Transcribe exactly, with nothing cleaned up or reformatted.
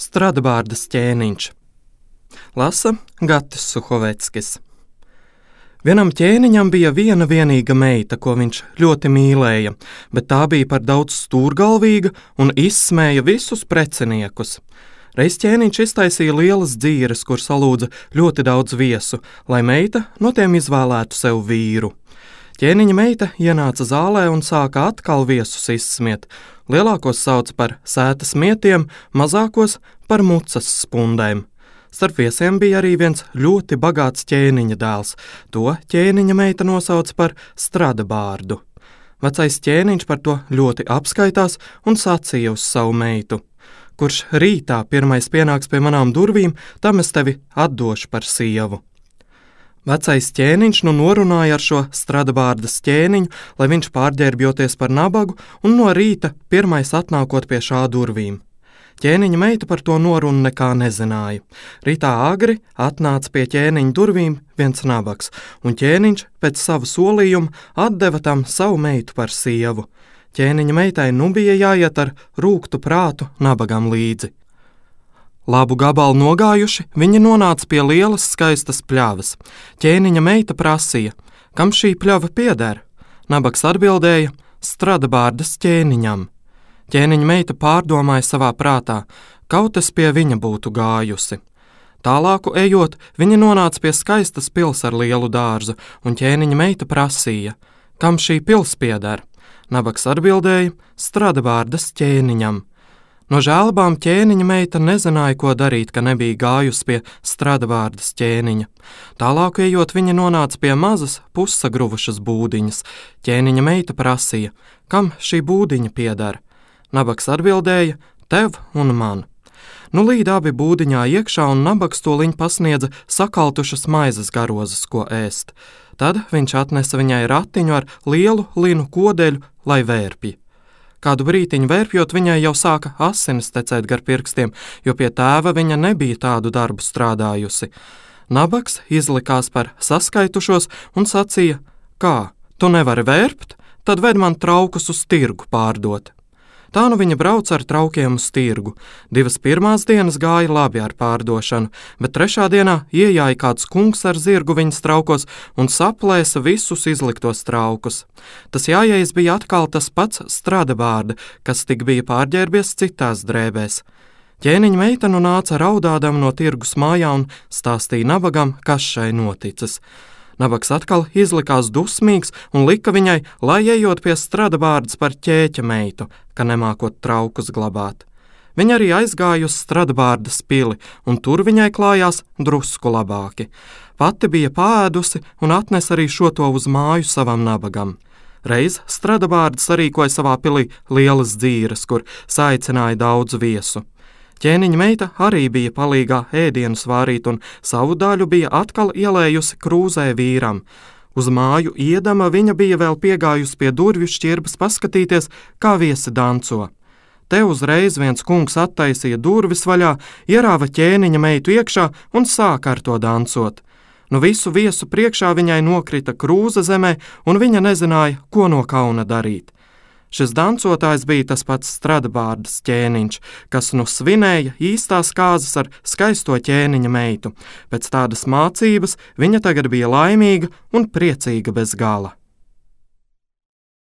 Stradbārdas ķēniņš. Lasa Gatis Suhoveckis. Vienam ķēniņam bija viena vienīga meita, ko viņš ļoti mīlēja, bet tā bija par daudz stūrgalvīga un izsmēja visus preciniekus. Reiz ķēniņš iztaisīja lielas dzīres, kur salūdza ļoti daudz viesu, lai meita no tiem izvēlētu sev vīru. Ķēniņa meita ienāca zālē un sāka atkal viesus izsmiet. Lielākos sauca par sētas mietiem, mazākos par mucas spundēm. Starp viesiem bija arī viens ļoti bagāts ķēniņa dēls. To ķēniņa meita nosauca par Stradbārdu. Vecais ķēniņš par to ļoti apskaitās un sacīja uz savu meitu: kurš rītā pirmais pienāks pie manām durvīm, tam es tevi atdošu par sievu. Vecais ķēniņš nu norunāja ar šo Stradbārdas ķēniņu, lai viņš pārģērbjoties par nabagu un no rīta pirmais atnākot pie šā durvīm. Ķēniņa meita par to norunu nekā nezināja. Rītā agri atnāca pie ķēniņa durvīm viens nabags, un ķēniņš pēc savu solījumu atdeva tam savu meitu par sievu. Ķēniņa meitai nu bija jāiet ar rūgtu prātu nabagam līdzi. Labu gabalu nogājuši, viņi nonāca pie lielas skaistas pļavas. Ķēniņa meita prasīja: kam šī pļava pieder? Nabags atbildēja: Stradbārdas ķēniņam. Ķēniņa meita pārdomāja savā prātā, kaut es pie viņa būtu gājusi. Tālāku ejot, viņi nonāca pie skaistas pils ar lielu dārzu, un ķēniņa meita prasīja: kam šī pils pieder? Nabags atbildēja: Stradbārdas ķēniņam. No žēlabām ķēniņa meita nezināja, ko darīt, ka nebija gājusi pie Stradbārdas ķēniņa. Tālāk ejot, viņa nonāca pie mazas pussagruvušas būdiņas. Ķēniņa meita prasīja: kam šī būdiņa pieder? Nabags atbildēja: tev un man. Nu līd abi būdiņā iekšā, un nabags toliņ pasniedza sakaltušas maizes garozas, ko ēst. Tad viņš atnesa viņai ratiņu ar lielu linu kodeļu, lai vērpja. Kādu brītiņu vērpjot, viņai jau sāka asinis tecēt gar pirkstiem, jo pie tēva viņa nebija tādu darbu strādājusi. Nabags izlikās par saskaitušos un sacīja: kā, tu nevari vērpt? Tad ved man traukus uz tirgu pārdot. Tā nu viņa brauca ar traukiem uz tirgu. Divas pirmās dienas gāja labi ar pārdošanu, bet trešā dienā iejāja kāds kungs ar zirgu viņas traukos un saplēsa visus izliktos traukus. Tas jājais bija atkal tas pats Stradbārda, kas tik bija pārģērbies citās drēbēs. Ķēniņa meita nu nāca raudādam no tirgus mājā un stāstīja nabagam, kas šai noticis. Nabags atkal izlikās dusmīgs un lika viņai, lai ejot pie Stradbārdas par ķēķa meitu, ka nemākot traukus glabāt. Viņa arī aizgāja uz Stradbārdas pili, un tur viņai klājās drusku labāki. Pati bija pāēdusi un atnesa arī šo to uz māju savam nabagam. Reiz Stradbārda sarīkoja savā pilī lielas dzīres, kur saicināja daudz viesu. Ķēniņa meita arī bija palīgā ēdienus vārīt un savu daļu bija atkal ielējusi krūzē vīram. Uz māju iedama viņa bija vēl piegājusi pie durvju šķirbas paskatīties, kā viesi danco. Te uzreiz viens kungs attaisīja durvis vaļā, ierāva ķēniņa meitu iekšā un sāka ar to dancot. Nu visu viesu priekšā viņai nokrita krūze zemē, un viņa nezināja, ko no kauna darīt. Šis dancotājs bija tas pats Stradbārdas ķēniņš, kas nu svinēja īstās kāzas ar skaisto ķēniņa meitu. Pēc tādas mācības viņa tagad bija laimīga un priecīga bez gala.